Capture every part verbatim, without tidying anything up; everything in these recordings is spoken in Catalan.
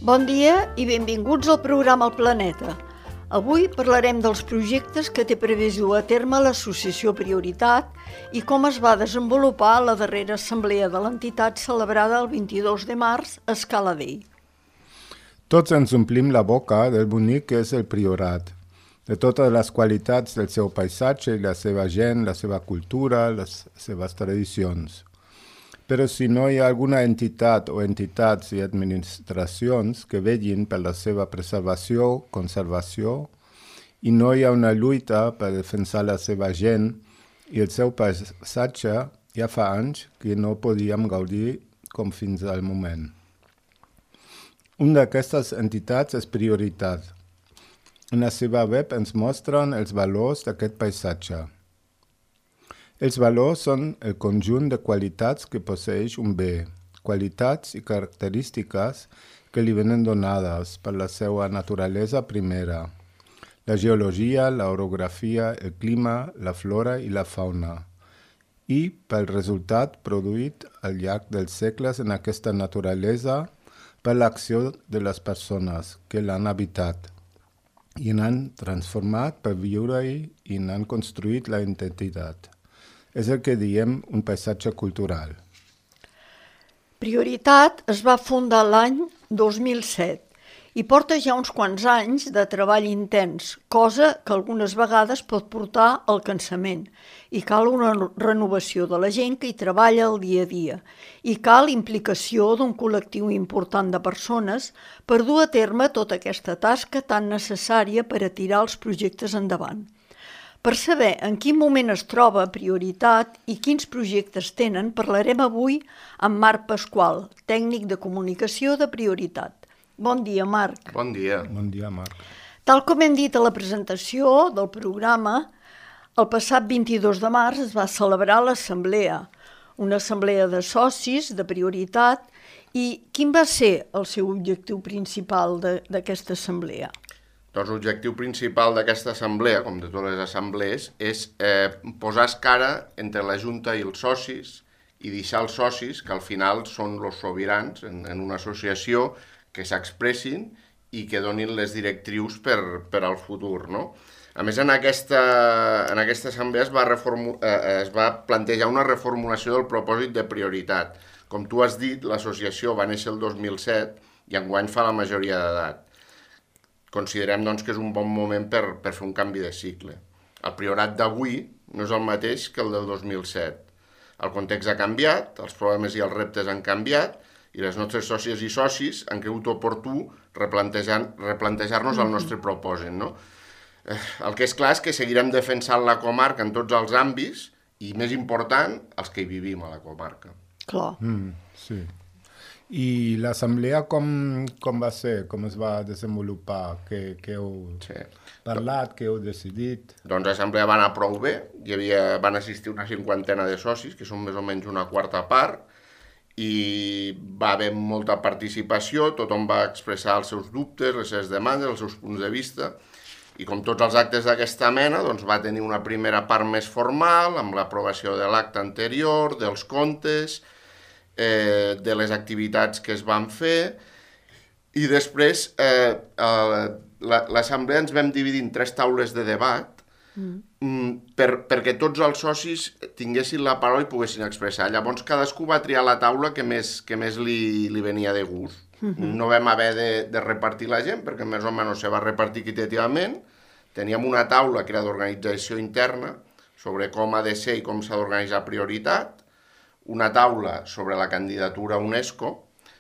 Bon dia i benvinguts al programa El Planeta. Avui parlarem dels projectes que té previst dur a terme l'Associació Prioritat i com es va desenvolupar la darrera assemblea de l'entitat celebrada el vint-i-dos de març a Scala Dei. Tots ens omplim la boca del bonic que és el Priorat, de totes les qualitats del seu paisatge i la seva gent, la seva cultura, les seves tradicions. Però si no hi ha alguna entitat o entitats i administracions que vetllin per la seva preservació, conservació, i no hi ha una lluita per defensar la seva gent i el seu paisatge, ja fa anys que no podíem gaudir com fins al moment. Una d'aquestes entitats és Prioritat. En la seva web ens mostren els valors d'aquest paisatge. Els valors són el conjunt de qualitats que posseeix un bé, qualitats i característiques que li venen donades per la seva naturalesa primera, la geologia, l'orografia, el clima, la flora i la fauna, i pel resultat produït al llarg dels segles en aquesta naturalesa per l'acció de les persones que l'han habitat i n'han transformat per viure-hi i n'han construït la identitat. És el que diem un paisatge cultural. Prioritat es va fundar l'any dos mil set i porta ja uns quants anys de treball intens, cosa que algunes vegades pot portar al cansament. I cal una renovació de la gent que hi treballa el dia a dia. I cal implicació d'un col·lectiu important de persones per dur a terme tota aquesta tasca tan necessària per a tirar els projectes endavant. Per saber en quin moment es troba Prioritat i quins projectes tenen, parlarem avui amb Marc Pasqual, tècnic de comunicació de Prioritat. Bon dia, Marc. Bon dia. Bon dia, Marc. Tal com hem dit a la presentació del programa, el passat vint-i-dos de març es va celebrar l'assemblea, una assemblea de socis de Prioritat. I quin va ser el seu objectiu principal d'aquesta assemblea? Doncs l'objectiu principal d'aquesta assemblea, com de totes les assemblees, és eh, posar escara entre la Junta i els socis i deixar els socis, que al final són els sobirans en, en una associació, que s'expressin i que donin les directrius per, per al futur, no? A més, en aquesta, en aquesta assemblea es va, reformu, eh, es va plantejar una reformulació del propòsit de Prioritat. Com tu has dit, l'associació va néixer el dos mil set i enguany fa la majoria d'edat. Considerem doncs, que és un bon moment per, per fer un canvi de cicle. El Priorat d'avui no és el mateix que el del dos mil set. El context ha canviat, els problemes i els reptes han canviat i les nostres sòcies i socis han cregut oportú replantejar-nos el nostre propòsit. No? Eh, el que és clar és que seguirem defensant la comarca en tots els àmbits i, més important, els que hi vivim a la comarca. Clar. Mm, sí. I l'assemblea com, com va ser? Com es va desenvolupar? Què, què heu sí. parlat? Què heu decidit? Doncs l'assemblea va anar prou bé. Hi havia, van assistir una cinquantena de socis, que són més o menys una quarta part, i va haver molta participació, tothom va expressar els seus dubtes, les seves demandes, els seus punts de vista, i com tots els actes d'aquesta mena, doncs va tenir una primera part més formal, amb l'aprovació de l'acte anterior, dels comptes, Eh, de les activitats que es van fer, i després eh, eh, l'assemblea ens vam dividir en tres taules de debat mm. per, perquè tots els socis tinguessin la paraula i poguessin expressar. Llavors cadascú va triar la taula que més, que més li, li venia de gust. Mm-hmm. No vam haver de, de repartir la gent perquè més o menys se va repartir equitativament. Teníem una taula que era d'organització interna sobre com ha de ser i com s'ha d'organitzar Prioritat, una taula sobre la candidatura a UNESCO,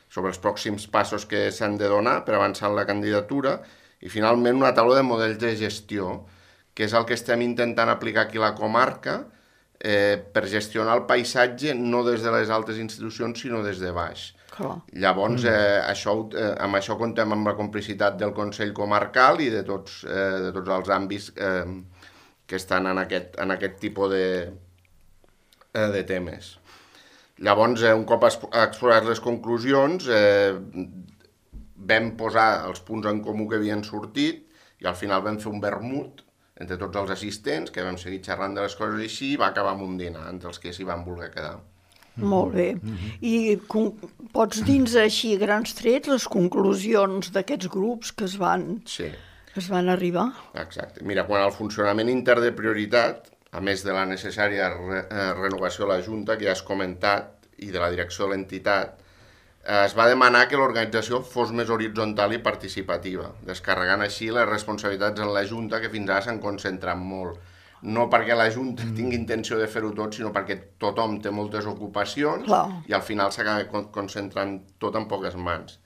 sobre els pròxims passos que s'han de donar per avançar en la candidatura, i finalment una taula de models de gestió, que és el que estem intentant aplicar aquí a la comarca eh, per gestionar el paisatge no des de les altres institucions, sinó des de baix. Clar. Llavors, eh, això, eh, amb això contem amb la complicitat del Consell Comarcal i de tots, eh, de tots els àmbits eh, que estan en aquest, en aquest tipus de, eh, de temes. Llavors, eh, un cop explorat les conclusions, eh, vam posar els punts en comú que havien sortit i al final vam fer un vermut entre tots els assistents, que vam seguir xerrant de les coses així, i va acabar amb un dinar entre els que s'hi van voler quedar. Molt bé. I Pots dins així, a grans trets, les conclusions d'aquests grups que es van, Sí, es van arribar? exacte. Mira, quan al funcionament intern de prioritat, a més de la necessària re eh, renovació de la Junta, que ja has comentat, i de la direcció de l'entitat, eh, es va demanar que l'organització fos més horitzontal i participativa, descarregant així les responsabilitats en la Junta, que fins ara s'han concentrat molt. No perquè la Junta tingui intenció de fer-ho tot, sinó perquè tothom té moltes ocupacions Clar. i al final s'acaba con concentrant tot en poques mans.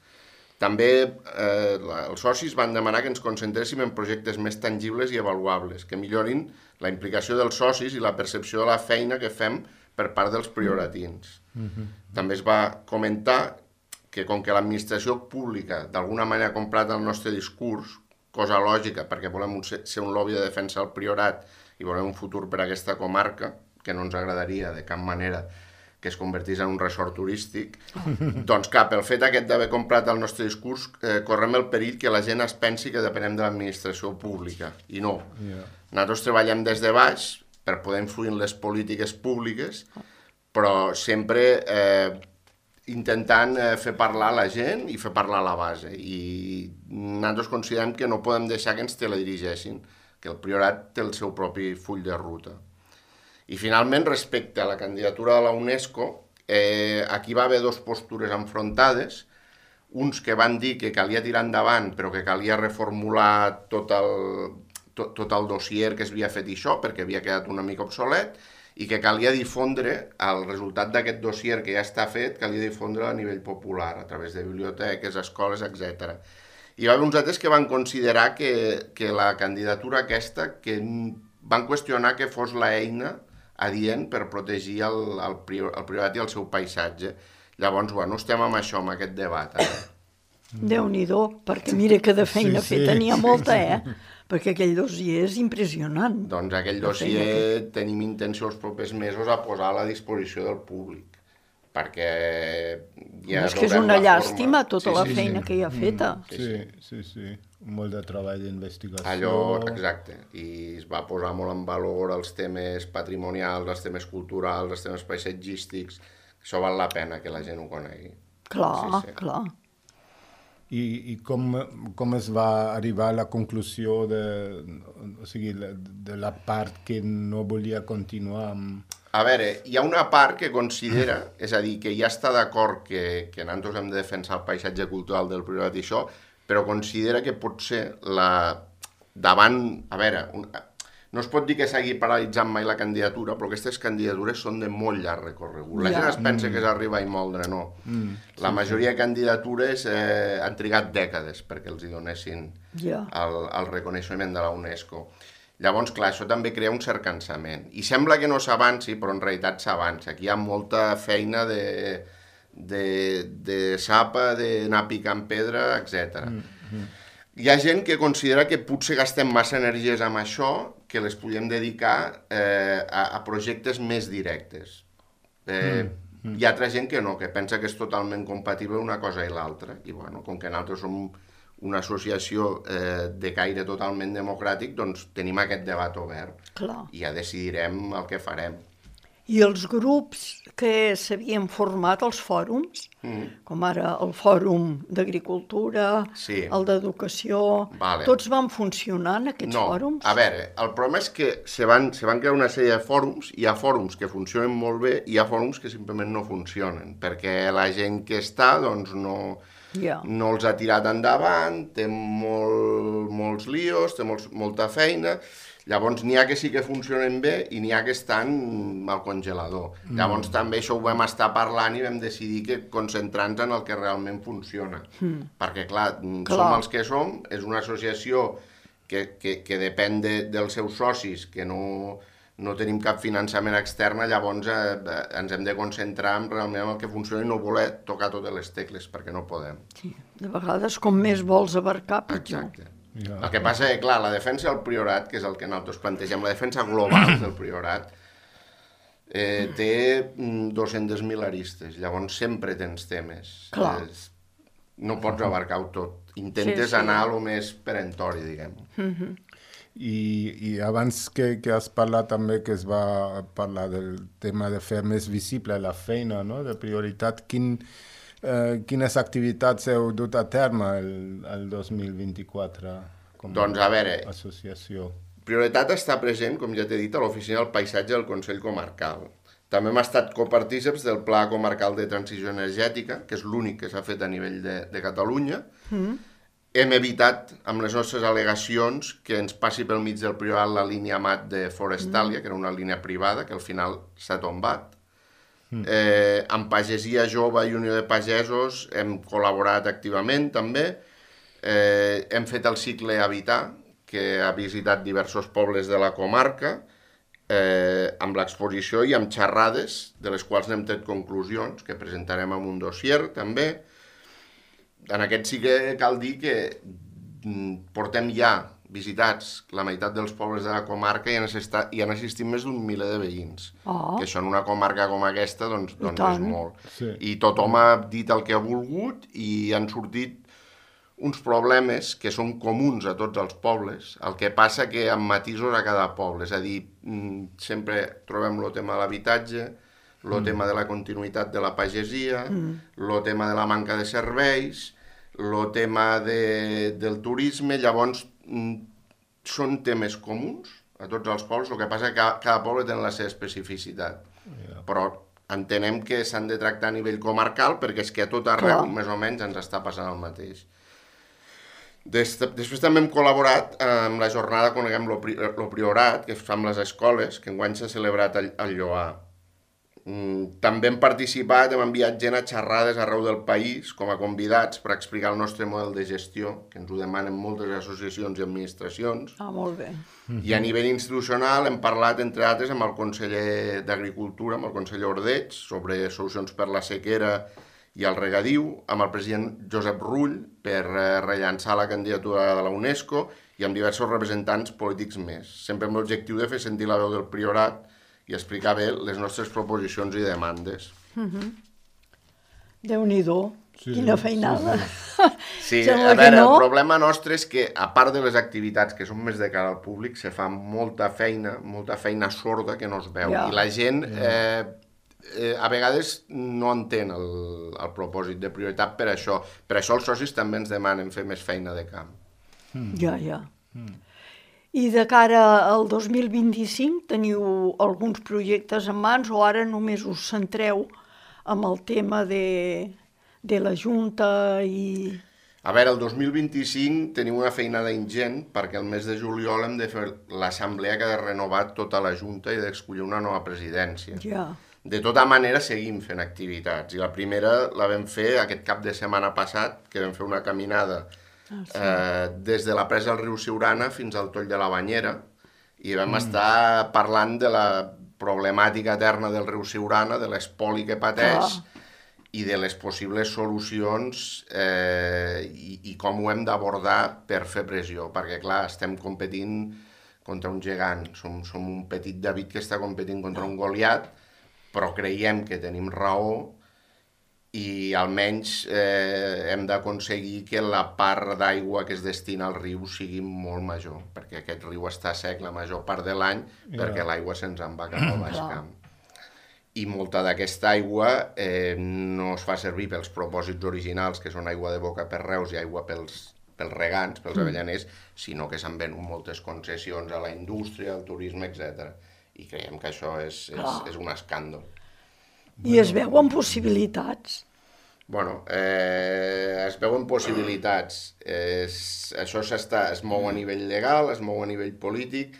També eh, els socis van demanar que ens concentréssim en projectes més tangibles i avaluables, que millorin la implicació dels socis i la percepció de la feina que fem per part dels prioratins. Mm-hmm. També es va comentar que com que l'administració pública d'alguna manera ha comprat el nostre discurs, cosa lògica perquè volem un, ser un lobby de defensa del priorat i volem un futur per a aquesta comarca, que no ens agradaria de cap manera que es convertís en un resort turístic, doncs cap, el fet aquest d'haver comprat el nostre discurs, eh, correm el perill que la gent es pensi que depenem de l'administració pública, i no. Yeah. Nosaltres treballem des de baix per poder influir en les polítiques públiques, però sempre eh, intentant eh, fer parlar la gent i fer parlar la base, i nosaltres considerem que no podem deixar que ens teledirigeixin, que el priorat té el seu propi full de ruta. I finalment, respecte a la candidatura de la UNESCO, eh, aquí va haver dues postures enfrontades, uns que van dir que calia tirar endavant, però que calia reformular tot el, tot, tot el dossier que s'havia fet això, perquè havia quedat una mica obsolet, i que calia difondre el resultat d'aquest dossier que ja està fet, calia difondre a nivell popular, a través de biblioteques, escoles, etcètera. Hi va haver uns altres que van considerar que, que la candidatura aquesta, que van qüestionar que fos l'eina adient per protegir el, el, prior, el priorat i el seu paisatge. Llavors, bueno, estem amb això, amb aquest debat. Eh? Déu-n'hi-do, perquè mira que de feina sí, sí. feta n'hi ha molta, eh? Perquè aquell dossier és impressionant. Doncs aquell dossier que... tenim intenció els propers mesos a posar a la disposició del públic, perquè ja és que és una llàstima tota sí, la sí, feina sí. que hi ha feta. Sí, sí, sí. Molt de treball d'investigació. Allò, exacte. I es va posar molt en valor els temes patrimonials, els temes culturals, els temes paisatgístics. Això val la pena que la gent ho conegui. Clar, sí, sí. clar. I, i com, com es va arribar a la conclusió de, o sigui, de la part que no volia continuar amb... A veure, hi ha una part que considera, és a dir, que ja està d'acord que, que nosaltres hem de defensar el paisatge cultural del priorat i això, però considera que potser la... davant... A veure, un... no es pot dir que s'hagi paralitzat mai la candidatura, però aquestes candidatures són de molt llarg recorregut. La ja. gent es pensa mm. que és arribar i moldre, no. Mm. La majoria de candidatures eh, han trigat dècades perquè els hi donessin ja. el, el reconeixement de la UNESCO. Llavors, clar, això també crea un cert cansament. I sembla que no s'avanci, però en realitat s'avança. Aquí hi ha molta feina de, de, de sapa, d'anar picant pedra, etcètera. Mm-hmm. Hi ha gent que considera que potser gastem massa energies amb això, que les podem dedicar eh, a, a projectes més directes. Eh, mm-hmm. Hi ha altra gent que no, que pensa que és totalment compatible una cosa i l'altra. I bueno, com que nosaltres som una associació eh, de caire totalment democràtic, doncs tenim aquest debat obert. Clar. I ja decidirem el que farem. I els grups que s'havien format, els fòrums, mm. com ara el Fòrum d'Agricultura, sí. el d'Educació, vale. tots van funcionar en aquests no. fòrums? A veure, el problema és que se van, se van crear una sèrie de fòrums, hi ha fòrums que funcionen molt bé i hi ha fòrums que simplement no funcionen, perquè la gent que està, doncs, no... Yeah. no els ha tirat endavant, té molt, molts líos, té molts, molta feina, llavors n'hi ha que sí que funcionen bé i n'hi ha que estan al congelador. Mm. Llavors també això ho vam estar parlant i vam decidir que concentrar-nos en el que realment funciona. Mm. Perquè clar, clar, som els que som, és una associació que, que, que depèn de, dels seus socis, que no... no tenim cap finançament extern, llavors eh, ens hem de concentrar en realment en el que funciona i no voler tocar totes les tecles, perquè no podem. Sí, de vegades com més vols abarcar, pitjor. Exacte. Ja. El que passa és que, clar, la defensa del priorat, que és el que nosaltres plantegem, la defensa global del priorat, eh, té dos-centes mil aristes, llavors sempre tens temes. Clar. És, no pots abarcar-ho tot. Intentes sí, sí. anar a lo més perentori, diguem. Mhm. I, i abans que, que has parlat també que es va parlar del tema de fer més visible la feina, no? De prioritat, quin, Eh, quines activitats heu dut a terme el, el dos mil vint-i-quatre com Doncs, a veure, a associació? Prioritat està present, com ja t'he dit, a l'Oficina del Paisatge del Consell Comarcal. També hem estat copartíceps del Pla Comarcal de Transició Energètica, que és l'únic que s'ha fet a nivell de, de Catalunya. Mm. Hem evitat, amb les nostres al·legacions, que ens passi pel mig del Priorat la línia M A T de Forestalia, mm. que era una línia privada, que al final s'ha tombat. Mm. Eh, amb Pagesia Jove i Unió de Pagesos hem col·laborat activament, també. Eh, hem fet el cicle Habitar, que ha visitat diversos pobles de la comarca, eh, amb l'exposició i amb xerrades, de les quals n'hem tret conclusions, que presentarem amb un dossier, també. En aquest sí que cal dir que portem ja visitats la meitat dels pobles de la comarca i han, assistat, i han assistit més d'un miler de veïns. Oh. Que això en una comarca com aquesta doncs, doncs és molt. Sí. I tothom ha dit el que ha volgut i han sortit uns problemes que són comuns a tots els pobles, el que passa que amb matisos a cada poble, és a dir, sempre trobem el tema de l'habitatge, el mm. tema de la continuïtat de la pagesia, el mm. tema de la manca de serveis, el tema de, del turisme, llavors són temes comuns a tots els pobles, el que passa que cada, cada poble té la seva especificitat, yeah. Però entenem que s'han de tractar a nivell comarcal perquè és que a tot arreu, Clar. Més o menys, ens està passant el mateix. Des, després també hem col·laborat amb la jornada Coneguem lo, pri, lo Priorat, que es fa amb les escoles, que enguany s'ha celebrat al, al Lloar. Mm, també hem participat, hem enviat gent a xerrades arreu del país com a convidats per explicar el nostre model de gestió, que ens ho demanen moltes associacions i administracions. Ah, molt bé. I a nivell institucional hem parlat, entre altres, amb el conseller d'Agricultura, amb el conseller Ordeig, sobre solucions per la sequera i el regadiu, amb el president Josep Rull per rellançar la candidatura de la UNESCO i amb diversos representants polítics més, sempre amb l'objectiu de fer sentir la veu del Priorat i explicar bé les nostres proposicions i demandes. Mm-hmm. Déu-n'hi-do, sí, quina feinada. Sí, sí a veure, no... el problema nostre és que, a part de les activitats que són més de cara al públic, se fa molta feina, molta feina sorda que no es veu. Ja. I la gent... Eh, Eh, a vegades no entén el, el propòsit de prioritat per això. Per això els socis també ens demanen fer més feina de camp. Mm. Ja, ja. Mm. I de cara al dos mil vint-i-cinc teniu alguns projectes en mans o ara només us centreu amb el tema de, de la Junta i... A veure, el dos mil vint-i-cinc tenim una feinada ingent perquè el mes de juliol hem de fer l'assemblea que ha de renovar tota la Junta i d'escollir una nova presidència. Ja. De tota manera, seguim fent activitats. I la primera la vam fer aquest cap de setmana passat, que vam fer una caminada ah, sí. eh, des de la presa del riu Siurana fins al Toll de la Banyera, i vam mm. estar parlant de la problemàtica eterna del riu Siurana, de l'espoli que pateix, ah. i de les possibles solucions eh, i, i com ho hem d'abordar per fer pressió. Perquè, clar, estem competint contra un gegant. Som, som un petit David que està competint contra un Goliat, però creiem que tenim raó i almenys eh, hem d'aconseguir que la part d'aigua que es destina al riu sigui molt major, perquè aquest riu està sec la major part de l'any, yeah. perquè l'aigua se'ns en va cap al baix camp. I molta d'aquesta aigua eh, no es fa servir pels propòsits originals, que són aigua de boca per Reus i aigua pels, pels regants, pels avellaners, sinó que s'han venut moltes concessions a la indústria, al turisme, etcètera. I creiem que això és, és, és un escàndol. I es veuen possibilitats? Bueno, eh, es veuen possibilitats. Es, això es mou a nivell legal, es mou a nivell polític,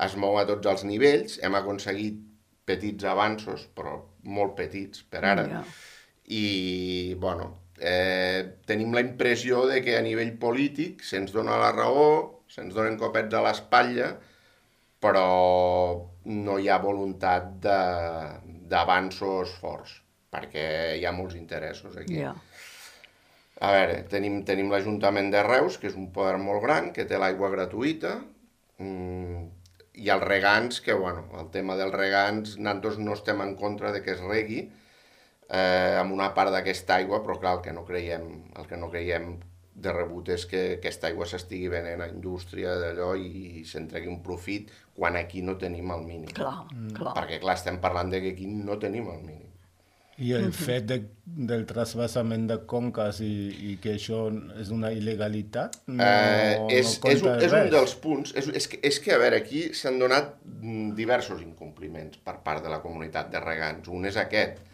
es mou a tots els nivells. Hem aconseguit petits avanços, però molt petits per ara. Ja. I, bueno, eh, tenim la impressió de que a nivell polític se'ns dona la raó, se'ns donen copets a l'espatlla, però no hi ha voluntat d'avanços forts, perquè hi ha molts interessos aquí. Yeah. A veure, tenim, tenim l'Ajuntament de Reus, que és un poder molt gran, que té l'aigua gratuïta, mmm, i els regants, que, bueno, el tema dels regants, nosaltres no estem en contra de que es regui eh, amb una part d'aquesta aigua, però clar, el que no creiem, el que no creiem de rebut és que aquesta aigua s'estigui venent a indústria d'allò i s'entregui un profit quan aquí no tenim el mínim. Clar, clar. Perquè, clar, estem parlant de que aquí no tenim el mínim. I el fet de, del trasbassament de conques i, i que això és una il·legalitat no, eh, és, no compta és, un, és res. un dels punts. És, és, que, és que, a veure, aquí s'han donat diversos incompliments per part de la comunitat de regants. Un és aquest.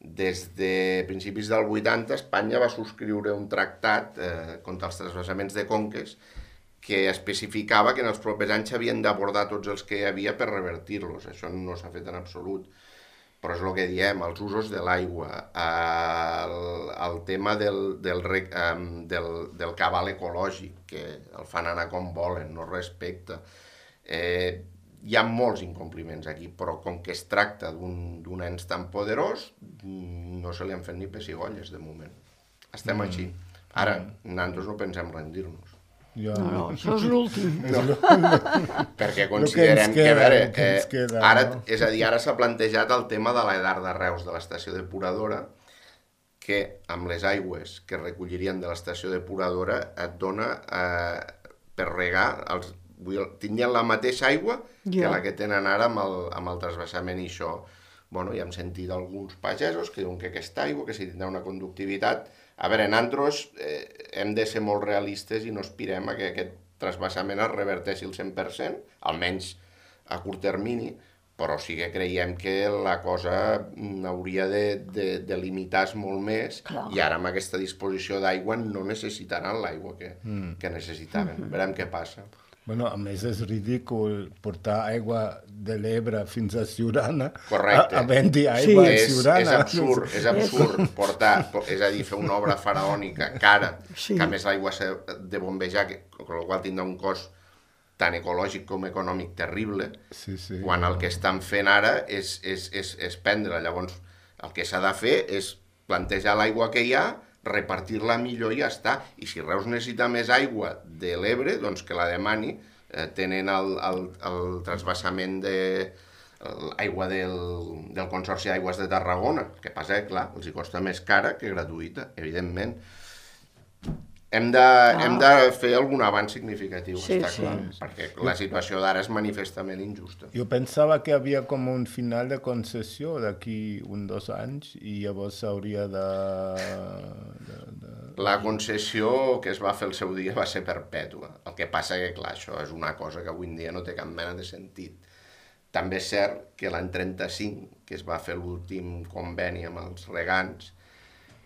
Des de principis del vuitanta, Espanya va subscriure un tractat eh, contra els trasbassaments de conques que especificava que en els propers anys s'havien d'abordar tots els que hi havia per revertir-los. Això no s'ha fet en absolut. Però és el que diem, els usos de l'aigua, el, el tema del, del, del, del cabal ecològic, que el fan anar com volen, no respecta. Eh, hi ha molts incompliments aquí, però com que es tracta d'un ens tan poderós, no se li han fet ni pessigolles de moment. Estem mm. així. Ara, mm. nosaltres no pensem rendir-nos. Ja. No, no, això és l'últim. No. Perquè considerem que, que, a veure, eh, queda, ara, no? És a dir, ara s'ha plantejat el tema de l'edar de Reus de l'estació depuradora, que amb les aigües que recollirien de l'estació depuradora et dona eh, per regar, els, tindrien la mateixa aigua ja. que la que tenen ara amb el, amb el trasbassament i això. Bueno, ja hem sentit alguns pagesos que diuen que aquesta aigua, que si tindrà una conductivitat. A veure, nosaltres eh, hem de ser molt realistes i no aspirem a que aquest trasbassament es reverteixi el cent per cent, almenys a curt termini, però sí que creiem que la cosa hauria de, de, de limitar-se molt més. Clar. I ara amb aquesta disposició d'aigua no necessitaran l'aigua que, mm. que necessitaven. Mm-hmm. Verem què passa. Bueno, a més és ridícul portar aigua de l'Ebre fins a Siurana. Correcte. A, a vendre aigua sí. a Siurana. És, és absurd, és absurd portar, és a dir, fer una obra faraònica cara, sí. que a més l'aigua s'ha de bombejar, que, amb la qual tindrà un cost tant ecològic com econòmic terrible, sí, sí, quan el que estan fent ara és, és, és, és prendre. Llavors, el que s'ha de fer és plantejar l'aigua que hi ha, repartir-la millor i ja està. I si Reus necessita més aigua de l'Ebre, doncs que la demani. Eh, tenen el, el, el trasbassament de l'aigua del, del Consorci d'Aigües de Tarragona. El que passa és que, clar, els hi costa més cara que gratuïta, evidentment. Hem de, ah. hem de fer algun avanç significatiu, sí, està clar, sí. perquè la situació d'ara és manifestament injusta. Jo pensava que havia com un final de concessió d'aquí un dos anys i llavors s'hauria de, de, de... La concessió que es va fer el seu dia va ser perpètua. El que passa que, clar, això és una cosa que avui en dia no té cap mena de sentit. També és cert que l'any trenta-cinc, que es va fer l'últim conveni amb els regants,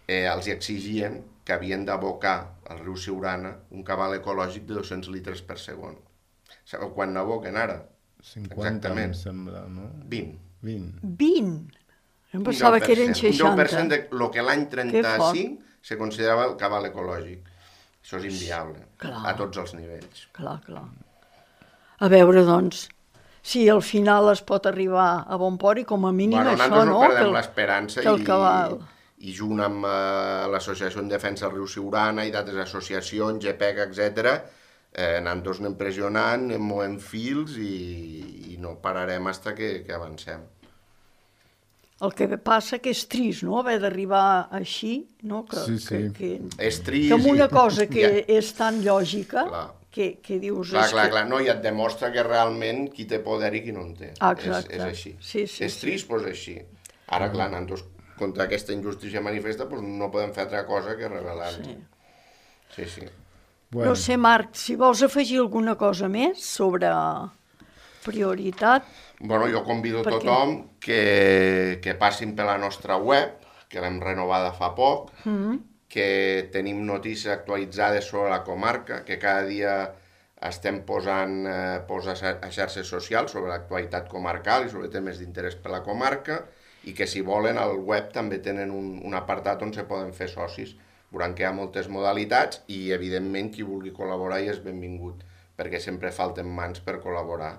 eh, els exigien que havien d'abocar al riu Siurana un cabal ecològic de dos-cents litres per segon. Sabeu quan n'aboquen ara? cinquanta, em sembla, no? vint. vint. vint? Em pensava que eren seixanta. Un deu per cent de lo que l'any trenta-cinc se considerava el cabal ecològic. Això és inviable, clar. A tots els nivells. Clar, clar. A veure, doncs, si al final es pot arribar a bon port i com a mínim bueno, això, no? no perdem l'esperança i... cabal... i junt amb eh, l'Associació en Defensa del Riu Siurana i d'altres associacions, G P E C, etcètera, eh, nosaltres anem pressionant, anem movent fils i, i no pararem fins que, que avancem. El que passa que és trist, no?, haver d'arribar així, no?, que, sí, sí. que, que, és trist. Que amb una cosa que ja. és tan lògica, clar. que, que dius... Clar, clar, que... clar, no, i et demostra que realment qui té poder i qui no en té. Ah, exacte. És, és així. Sí, sí, és trist, sí. Però és així. Ara, clar, nosaltres contra aquesta injustícia manifesta, doncs no podem fer altra cosa que rebel·lar-nos. Sí, sí. sí. Bueno. No sé, Marc, si vols afegir alguna cosa més sobre prioritat... Bueno, jo convido a tothom que, que passin per la nostra web, que l'hem renovada fa poc, mm-hmm. que tenim notícies actualitzades sobre la comarca, que cada dia estem posant, eh, posant a xarxes socials sobre l'actualitat comarcal i sobre temes d'interès per la comarca, i que si volen al web també tenen un, un apartat on se poden fer socis. Veuran que hi ha moltes modalitats i evidentment qui vulgui col·laborar hi és benvingut, perquè sempre falten mans per col·laborar.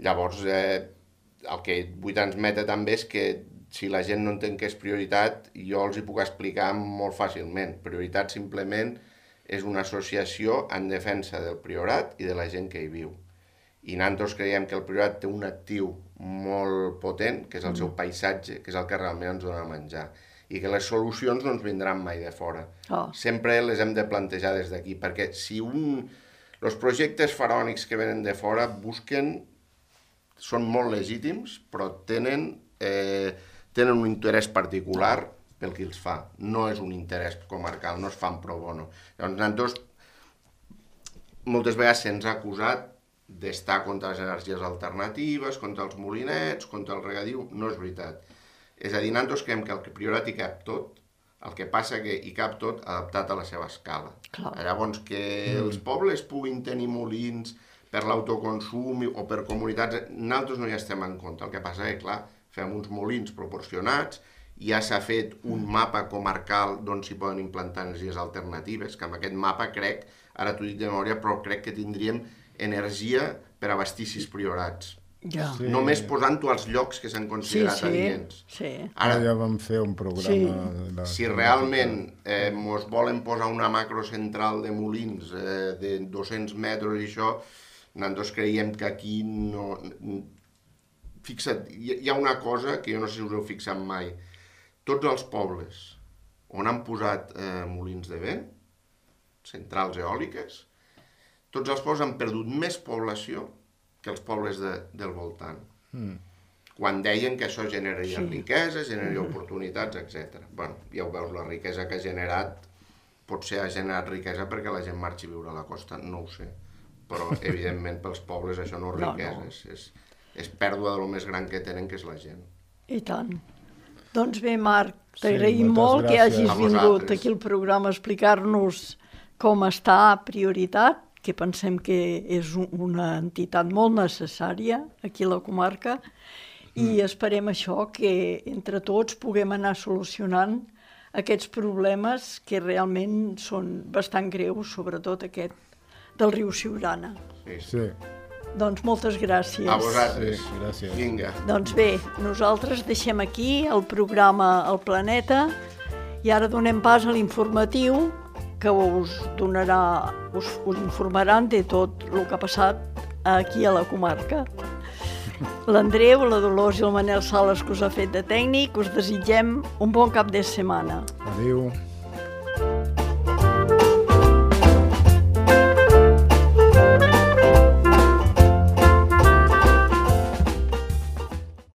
Llavors, eh, el que vull transmetre també és que si la gent no entén què és prioritat, jo els hi puc explicar molt fàcilment. Prioritat simplement és una associació en defensa del Priorat i de la gent que hi viu. I nosaltres creiem que el Priorat té un actiu molt potent, que és el seu paisatge, que és el que realment ens dona a menjar, i que les solucions no ens vindran mai de fora. Oh. Sempre les hem de plantejar des d'aquí, perquè si un... els projectes faraònics que venen de fora busquen... són molt legítims, però tenen... Eh, tenen un interès particular pel que els fa. No és un interès comarcal, no es fan pro bono. Llavors, nosaltres, moltes vegades se'ns ha acusat d'estar contra les energies alternatives, contra els molinets, contra el regadiu. No és veritat. És a dir, nosaltres creiem que el Priorat hi cap tot, el que passa que hi cap tot adaptat a la seva escala. Clar. Llavors, que mm. els pobles puguin tenir molins per l'autoconsum o per comunitats, nosaltres no hi estem en contra. El que passa és que, clar, fem uns molins proporcionats, ja s'ha fet un mapa comarcal d'on s'hi poden implantar energies alternatives, que amb aquest mapa crec, ara t'ho dic de memòria, però crec que tindríem energia per abastir sis priorats. Ja. Sí. Només posant-ho als llocs que s'han considerat Sí, sí, adients. sí. Ara Ara, ja vam fer un programa... Sí. de la... si realment eh, mos volen posar una macrocentral de molins eh, de dos-cents metres i això, nosaltres creiem que aquí no... Fixa't, hi ha una cosa que jo no sé si us heu fixat mai. Tots els pobles on han posat eh, molins de vent, centrals eòliques, tots els pobles han perdut més població que els pobles de, del voltant. Mm. Quan deien que això generaria sí. riquesa, generaria oportunitats, etcètera. Bueno, ja ho veus, la riquesa que ha generat, potser ha generat riquesa perquè la gent marxi a viure a la costa, no ho sé. Però, evidentment, pels pobles això no és riquesa, no, no. És, és, és pèrdua de lo més gran que tenen, que és la gent. I tant. Doncs bé, Marc, t'agraïm sí, molt gràcies. que hagis A vingut vosaltres. aquí al programa a explicar-nos com està Prioritat, que pensem que és una entitat molt necessària aquí a la comarca, i mm. esperem això, que entre tots puguem anar solucionant aquests problemes que realment són bastant greus, sobretot aquest del riu Siurana. Sí, sí. Sí. Doncs moltes gràcies. A vosaltres. Sí, gràcies. Vinga. Doncs bé, nosaltres deixem aquí el programa El Planeta i ara donem pas a l'informatiu que us donarà, us, us informaran de tot el que ha passat aquí a la comarca. L'Andreu, la Dolors i el Manel Sales, que us ha fet de tècnic, us desitgem un bon cap de setmana. Adéu.